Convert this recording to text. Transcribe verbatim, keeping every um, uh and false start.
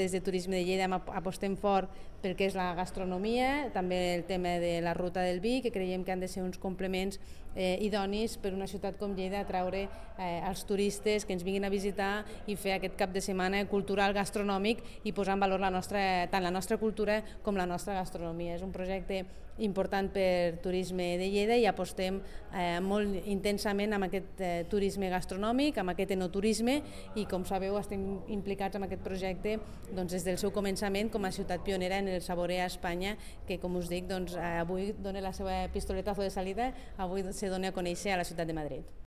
Des de Turisme de Lleida apostem fort pel que és la gastronomia, també el tema de la ruta del vi, que creiem que han de ser uns complements eh, idonis per una ciutat com Lleida atraure eh, els turistes que ens vinguin a visitar i fer aquest cap de setmana cultural gastronòmic i posar en valor la nostra, tant la nostra cultura com la nostra gastronomia. És un projecte important per Turisme de Lleida i apostem eh, molt intensament amb aquest eh, turisme gastronòmic, amb aquest enoturisme i, com sabeu, estem implicats en aquest projecte doncs, des del seu començament com a ciutat pionera en el Saborea Espanya, que, com us dic, doncs, avui dona la seva pistoletazo de salida, avui se dona a conèixer a la ciutat de Madrid.